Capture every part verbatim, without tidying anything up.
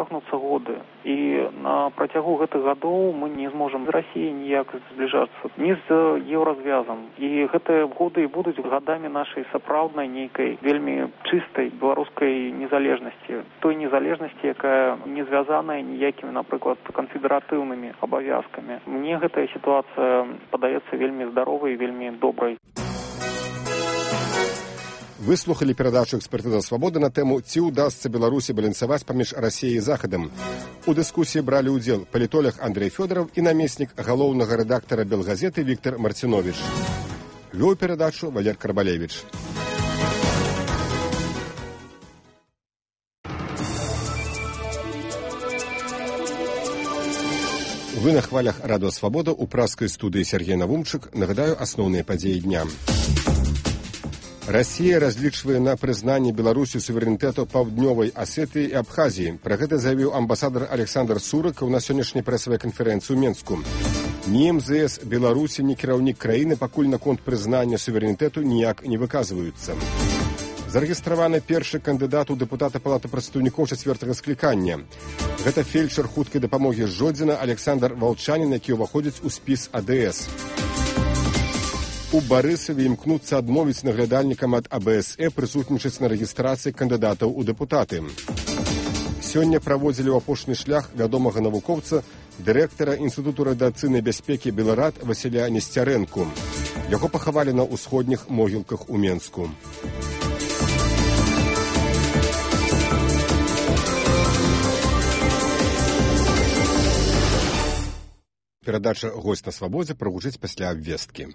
цягнуцца годы. І на працягу гэтых гадоў мы не зможам з Расіяй ніяк збліжацца, ні з еўразвязам. І гэтыя годы і будуць гадамі нашай сапраўднай нейкай вельмі чыстай беларускай незалежнасці. Той незалежнасці, якая не звязаная ніякімі, напрыклад, канфедэратыўнымі абавязкамі. Мне гэтая сітуацыя падаецца вельмі здаровай і вельмі добрай. Вы слухалі перадачу «Экспертыза свабоды» на тэму «Ці ўдасца Беларусі балансаваць паміж Расіяй і Захадам». У дыскусіі бралі ўдзел палітолог Андрэй Фёдораў і намеснік галоўнага рэдактара «Белгазеты» Віктор Марціновіч. Вёў перадачу Валер Карбалевіч. Вы на хвалях радыё «Свабода» у пражскай студыі Сергей Навумчык. Нагадаю асноўныя падзеі дня. Расія разлічвае на прызнанне Беларусі суверэнітэту Паўднёвай Асетыі і Абхазіі. Пра гэта заявіў амбасадар Александр Сурыкаў на сённяшняй прэсавай канферэнцыі ў Менску. Ні эм зэ эс Беларусі, ні кіраўнік краіны пакуль наконт прызнання суверэнітэту ніяк не выказваюцца. Зарэгістраваны першы кандыдат у дэпутата Палаты прадстаўнікоў чацвёртага склікання. Гэта фельчар хуткай дапамогі з Жодзіна Александр Валчанін, які ўваходзіць у спіс а дэ эс. У Барысаве імкнуцца адмовіць наглядальнікам ад а бэ эс э прысутнічаць на рэгістрацыі кандыдатаў у дэпутаты. Сёння праводзілі ў апошні шлях вядомага навукоўца, дырэктара Інстытуту радыацыйнай бяспекі Беларад Васіля Несцярэнку. Яго пахавалі на ўсходніх могілках у Менску. Перадача «Госць на свабодзе» прагучыць пасля абвесткі.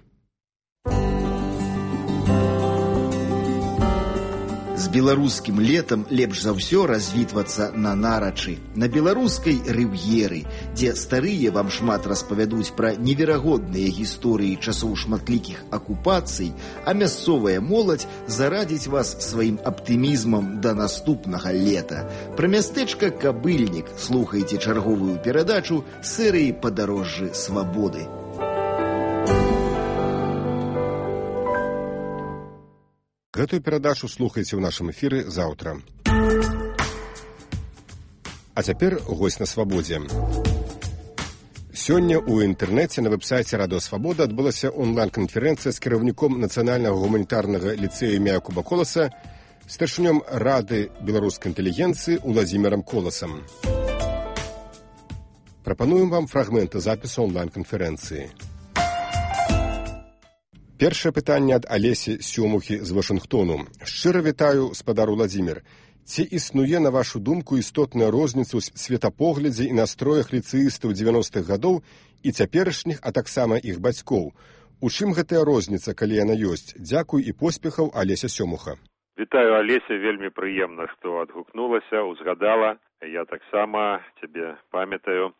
З беларускім летам лепш за ўсё развітвацца на нарачы, на беларускай рыв'еры, дзе старыя вам шмат распавядуць пра неверагодныя гісторыі часоў шматлікіх акупацый, а мясцовая моладзь зарадзіць вас сваім аптымізмам да наступнага лета. Пра мястэчка Кабыльнік слухайце чарговую перадачу серыі «Падарожжы свабоды». Гэтую перадачу слухайце ў нашым эфіры заўтра. А цяпер госць на свабодзе. Сёння ў інтэрнэце на вэб-сайце радыё «Свабода» адбылася онлайн-канферэнцыя з кіраўніком Нацыянальнага гуманітарнага ліцэя імя Якуба Коласа, старшынём Рады беларускай інтэлігенцыі Уладзімірам Коласам. Прапануем вам фрагменты запісу онлайн-канферэнцыі. Першае пытанне ад Алесі Сёмухі з Вашынгтону. Шчыра вітаю, спадар Уладзімір. Ці існуе, на вашу думку, істотная розніца ў светапоглядзе і настроях ліцэістаў дзевяностых гадоў і цяперашніх, а таксама іх бацькоў? У чым гэтая розніца, калі яна ёсць? Дзякуй і поспехаў, Алеся Сёмуха. Вітаю, Алеся, вельмі прыемна, што адгукнулася, узгадала. Я таксама цябе памятаю.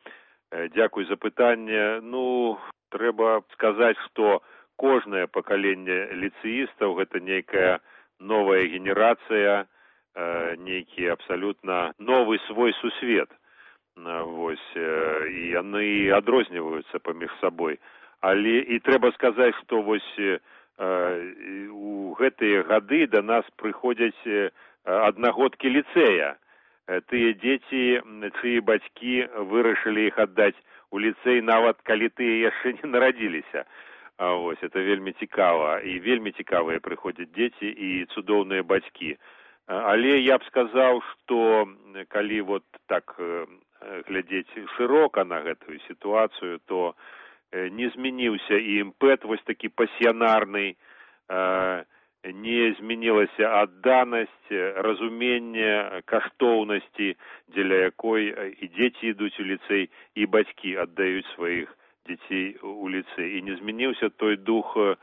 Дзякуй за пытанне. Ну, трэба сказаць, што кожнае пакаленне ліцэістаў гэта нейкая новая генерацыя, нейкі абсалютна новы свой сусвет. Вось, і яны адрозніваюцца паміж сабой. Але і трэба сказаць, што вось у гэтыя гады да нас прыходзяць аднагодкі ліцэя. Тыя дзеці, чыі бацькі вырашылі іх аддаць у ліцэй, нават калі тыя яшчэ не нарадзіліся. А вось, это вельмі цікава, і вельмі цікавыя прыходзяць дзеці і цудоўныя бацькі. Але я б сказаў, што калі вот так глядзець шырока на гэтую сітуацыю, то не змяніўся і імпэт вось такі пасіянарны, не змянілася адданасць, разуменне каштоўнасці, дзеля якой і дзеці ідуць у ліцэй, і бацькі аддаюць сваіх дзяцей у ліцэй. І не змяніўся той дух э,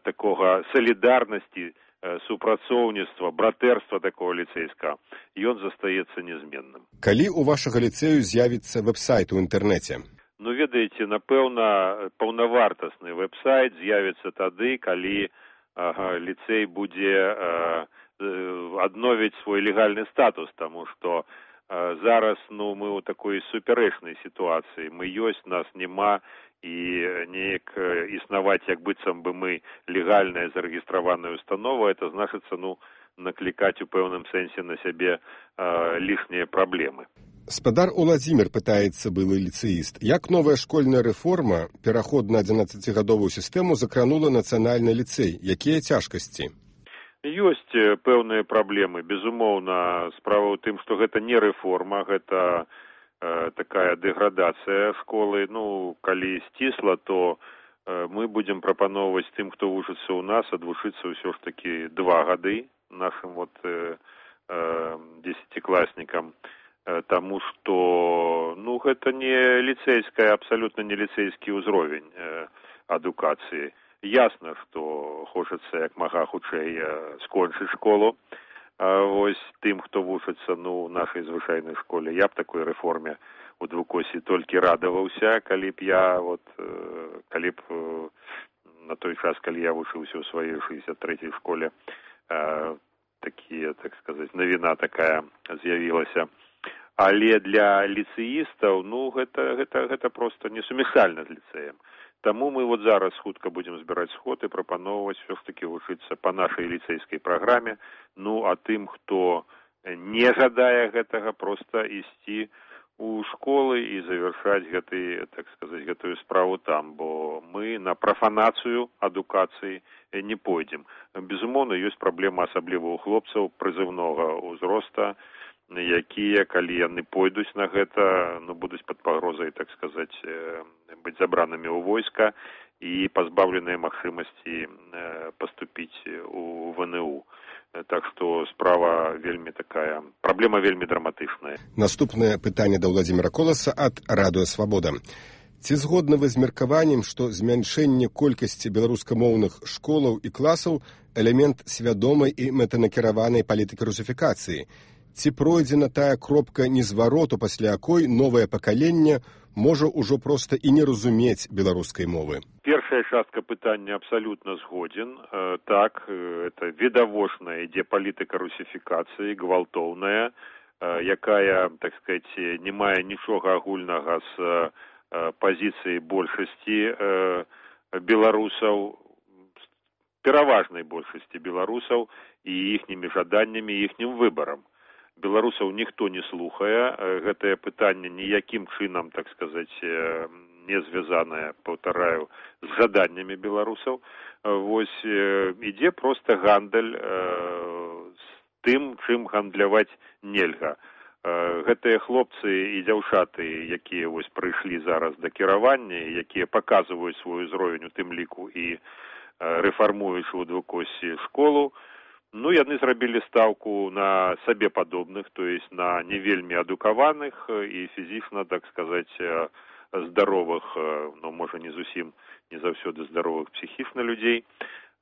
такога салідарнасці, э, супрацоўніцтва, братэрства такого ліцэйскага. Ён застаецца нязменным. Калі у вашага ліцэю з'явіцца вэб-сайт у інтэрнэце? Ну, ведаеце, напэўна, паўнавартасны вэб-сайт з'явіцца тады, калі ага, ліцэй будзе э, адновіць свой легальны статус, таму што зараз, ну, мы ў такой суперэчнай сітуацыі. Мы ёсць, нас няма, і неяк існаваць, як быццам бы мы легальная зарэгістраваная установа, это значыцца, ну, наклікаць у пэўным сэнсе на сябе э, лішнія праблемы. Спадар Уладзімір пытаецца былы ліцэіст, як новая школьная рэформа, пераход на адзінаццацігадовую сістэму закранула нацыянальны ліцэй? Якія цяжкасці? Ёсць пэўныя праблемы. Безумоўна, справа ў тым, што гэта не рэформа, гэта э, такая дэградацыя школы. Ну, калі сцісла, то э, мы будзем прапаноўваць тым, хто вучыцца ў нас, адвучыцца ўсё ж такі два гады нашым вот э, э, дзесяцікласнікам. Таму што, ну, гэта не ліцэйская, абсалютна не ліцэйскі ўзровень э, адукацыі. Ясна, што хочацца як мага хутчэй э, скончыць школу. А вось тым, хто вучыцца, ну, ў нашай звычайнай школе. Я б такой рэформе у двукосі толькі радаваўся, калі б я, вот, э, калі б э, на той час, калі я вучыўся ў сваёй шэсцьдзесят трэцяй школе, э, такія, так сказаць, навіна такая з'явілася. Але для ліцэістаў, ну, гэта, гэта, гэта проста несумяшальна з ліцэем. Таму мы вот зараз хутка будзем збіраць сход і прапаноўваць все ж такі вучыцца па нашай ліцэйскай праграме. Ну, а тым, хто не жадае гэтага, проста ісці у школы і завяршаць гэты, так сказаць, гэтую справу там, бо мы на прафанацыю адукацыі не пойдзем. Безумоўна, ёсць праблема асабліва ў хлопцаў прызыўнога ўзроста, якія, калі яны пойдуць на гэта, ну, будуць пад пагрозай, так сказаць, быць забранымі ў войска і пазбаўленыя магчымасці паступіць у вэ эн у. Так што справа вельмі такая, праблема вельмі драматычная. Наступнае пытанне да Ўладзіміра Коласа ад Радыё Свабода. Ці згодны вы з меркаваннем, што змяншэнне колькасці беларускамоўных школаў і класаў элемент свядомай і мэтанакіраванай палітыкі русіфікацыі? Ці пройдзена тая кропка незвароту, пасля якой новае пакаленне можа ўжо проста і не разумець беларускай мовы? Першая частка пытання абсалютна згодзін. Э, так, э, это відавочная ідзе палітыка русіфікацыі, гвалтоўная, э, якая, так сказаць, не мае нічога агульнага з э, пазіцыяй большасці э, беларусаў, пераважнай большасці беларусаў і іхнімі жаданнямі, іхнім выбарам. Беларусаў ніхто не слухае, гэтае пытанне ніякім чынам, так сказаць, не звязанае, паўтараю, з жаданнямі беларусаў. Вось ідзе проста гандаль з тым, чым гандляваць нельга. Гэтыя хлопцы і дзяўчаты, якія вось прыйшлі зараз да кіравання, якія паказваюць свой узровень у тым ліку і рэфармуюць у двукосі школу, ну, яны зрабілі стаўку на сабе падобных, то есть на не вельмі адукаваных і фізічна, так сказаць, здаровых, ну, можа, не зусім, не заўсёды здаровых псіхічна людзей,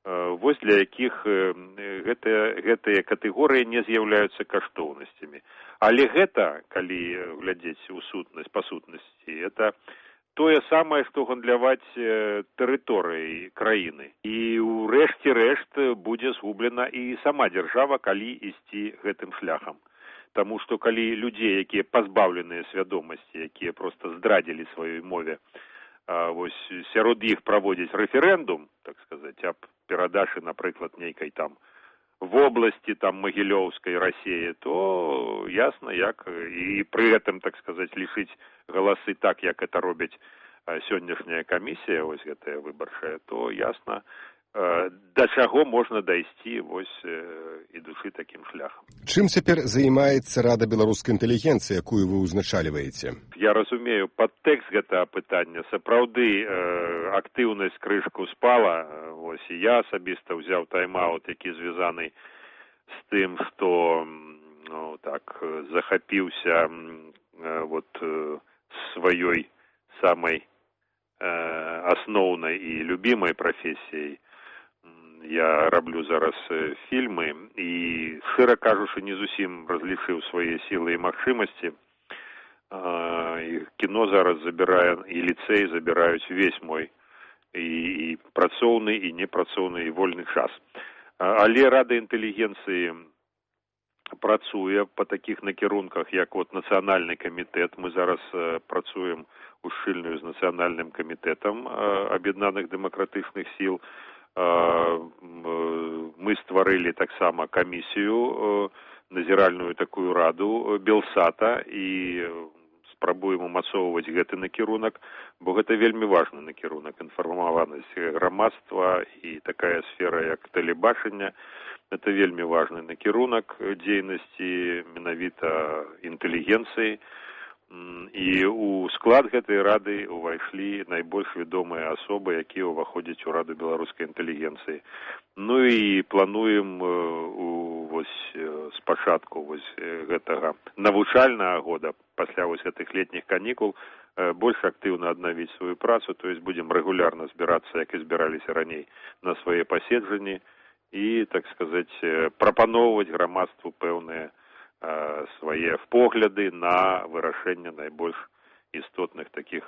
вось для якіх гэтыя, гэтыя катэгорыі не з'яўляюцца каштоўнасцямі. Але гэта, калі глядзець у сутнасць, па сутнасці, это тое самае, што гандляваць тэрыторыяй краіны. І ў рэшце рэшт будзе згублена і сама дзяржава, калі ісці гэтым шляхам. Таму што калі людзей, якія пазбаўленыя свядомасці, якія проста здрадзілі сваёй мове, вось сярод іх праводзіць рэферэндум, так сказаць, аб перадачы, напрыклад, нейкай там вобласці, там, Магілёўскай Расіі, то ясна, як і пры гэтым, так сказаць, лічыць галасы так, як это робяць сённяшняя камісія, вось гэтая выбарчая, то ясна, да чаго можна дайсці, вось, ідучы такім шляхам. Чым цяпер займаецца Рада беларускай інтэлігенцыі, якую вы ўзначальваеце? Я разумею, падтэкст гэтага пытання. Сапраўды, актыўнасць крышку спала. Вось, і я асабіста ўзяў тайм-аут, які звязаны з тым, што, ну, так, захапіўся вот сваёй самай асноўнай і любімай прафесіяй. Я раблю зараз фільмы і, шчыра кажучы, не зусім разлічыў свае сілы і магчымасці. І кіно зараз забірае, і ліцэй забіраюць увесь мой і, і працоўны, і непрацоўны, і вольны час. Але Рада інтэлігенцыі працуе па такіх накірунках, як от нацыянальны камітэт. Мы зараз працуем ушчыльную з нацыянальным камітэтам аб'яднаных дэмакратычных сіл. Мы стварылі таксама камісію назіральную такую раду Белсата і спрабуем умацоўваць гэты накірунак, бо гэта вельмі важны накірунак, інфармаванасць грамадства і такая сфера, як тэлебачання. Это вельмі важны накірунак дзейнасці менавіта інтэлігенцыі. І у склад гэтай рады ўвайшлі найбольш вядомыя асобы, якія ўваходзяць у раду беларускай інтэлігенцыі. Ну і плануем у, вось, спачатку вось гэтага навучальнага года, пасля вось гэтых летніх канікул, больш актыўна аднавіць сваю працу, то есть будем рэгулярна збірацца, як і збіраліся раней, на свае паседжанні і, так сказаць, прапаноўваць грамадству пэўныя свае погляды на вырашэнне найбольш істотных такіх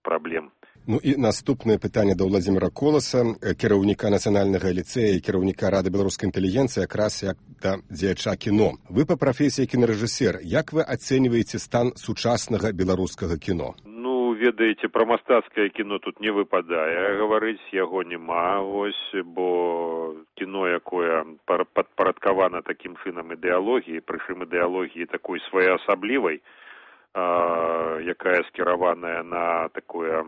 праблем. Ну і наступнае пытанне да Владзіміра Коласа, кіраўніка нацыянальнага ліцэя і кіраўніка рады беларускай інтэлігенцыі, якраз як да дзеяча кіно. Вы па прафесіі кінарэжысер, як вы ацэньваеце стан сучаснага беларускага кіно? Ну, ведаеце, пра мастацкае кіно тут не выпадае гаварыць, яго няма, вось, бо кіно, якое падпарадкавана такім чынам ідэалогіі, прычым ідэалогіі такой своеасаблівай, а, якая скіраваная на такое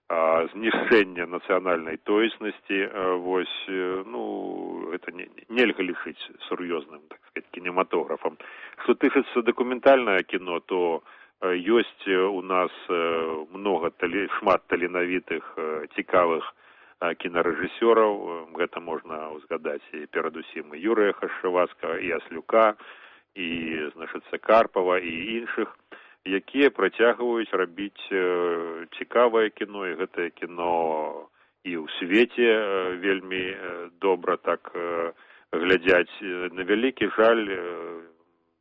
а, знішчэнне нацыянальнай тоеснасці, а, вось, ну, это не, нельга лічыць сур'ёзным, так сказать, кінематографам. Што тычыцца дакументальнае кіно, то ёсць у нас много, шмат таленавітых, цікавых кінарэжысёраў. Гэта можна узгадаць і перадусім і Юрыя Хашчавацкага, і Аслюка, і, значыцца, Карпава, і іншых, якія працягваюць рабіць цікавае кіно, і гэтае кіно і ў свеце вельмі добра так глядзяць. На вялікі жаль,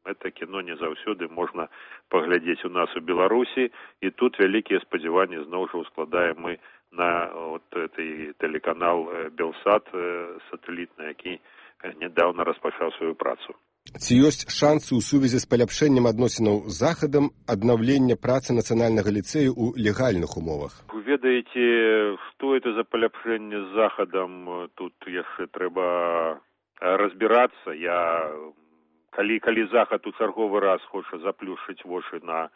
это кіно не заўсёды можна паглядзець у нас у Беларусі, і тут вялікія спадзяванні зноў жа ускладаем мы на вот этой тэлеканал Белсат сатэлітны, які нядаўна распачаў сваю працу. Ці ёсць шансы ў сувязі з паляпшэннем адносінаў з Захадам аднаўлення працы нацыянальнага ліцэю ў легальных умовах? Вы ведаеце, што это за паляпшэнне з Захадам, тут яшчэ трэба разбірацца. Я Калі, калі Захад у чарговы раз хоча заплюшыць вочы на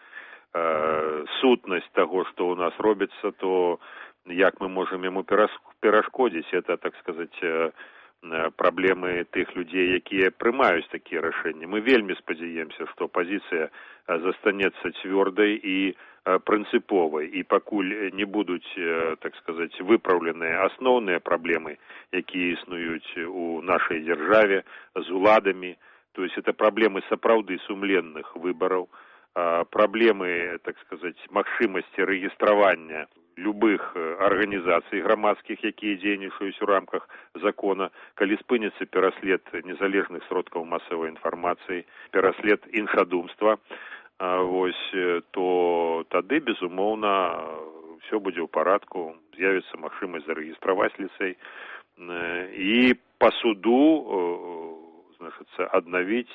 э, сутнасць таго, што ў нас робіцца, то як мы можам яму перашкодзіць? Это, так сказаць, э, праблемы тых людзей, якія прымаюць такія рашэнні. Мы вельмі спадзяемся, што пазіцыя застанецца цвёрдай і прынцыповай, і пакуль не будуць, так сказаць, выпраўленыя асноўныя праблемы, якія існуюць у нашай дзяржаве з уладамі. То есть это проблемы сапраўды сумленных выбораў, проблемы, так сказать, магчымасці рэгістравання любых арганізацый грамадскіх, якія дзейнічаюць у рамках закона, калі спыніцца пераслед незалежных сродкаў масавай інфармацыі, пераслед іншадумства, вось, то тады, безумоўна, все будзе ў парадку, з'явіцца магчымасць зарэгістраваць ліцэй, і па суду значыцца, аднавіць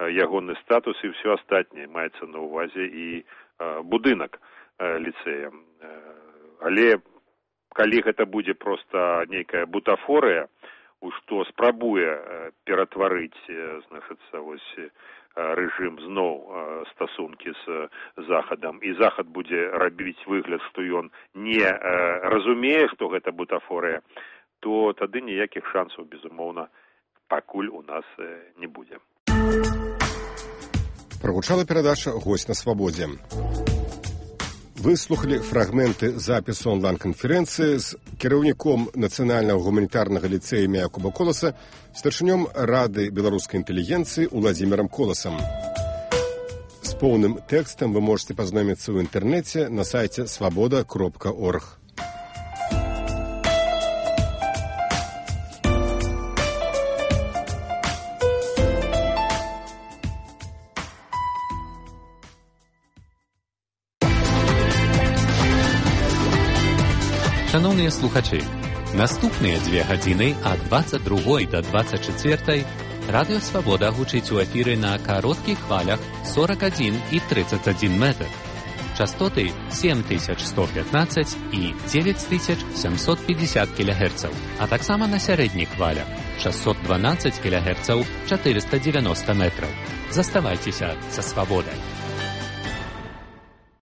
ягоны статус і ўсё астатняе, маецца на ўвазе і будынак ліцэя. Але калі гэта будзе проста нейкая бутафорыя, у што спрабуе ператварыць, значыцца, вось рэжым зноў стасункі з Захадам, і Захад будзе рабіць выгляд, што ён не разумее, што гэта бутафорыя, то тады ніякіх шансаў, безумоўна, пакуль у нас не будзе. Прагучала перадача «Госць на свабодзе». Вы слухалі фрагменты запісу онлайн-канферэнцыі з кіраўніком Нацыянальнага гуманітарнага ліцэя імя Якуба Коласа, старшынём Рады беларускай інтэлігенцыі Владзімірам Коласам. З поўным тэкстам вы можете пазнаёміцца ў інтэрнэце на сайце свабода кропка орг. Шановні слухачі, наступныя дзве гадзіны ад дваццаць другой да дваццаць чацвёртай Радыё Свабода гучыць у эфіры на кароткіх хвалях сорок адзін і тридцать адзін метр. частоты семь тысяч сто пятнадцать і девять тысяч семьсот пятьдесят кілогерцаў, а таксама на сярэдніх хвалях шестьсот двенадцать кілогерцаў, четыреста девяносто метров. Заставайцеся са свабодай.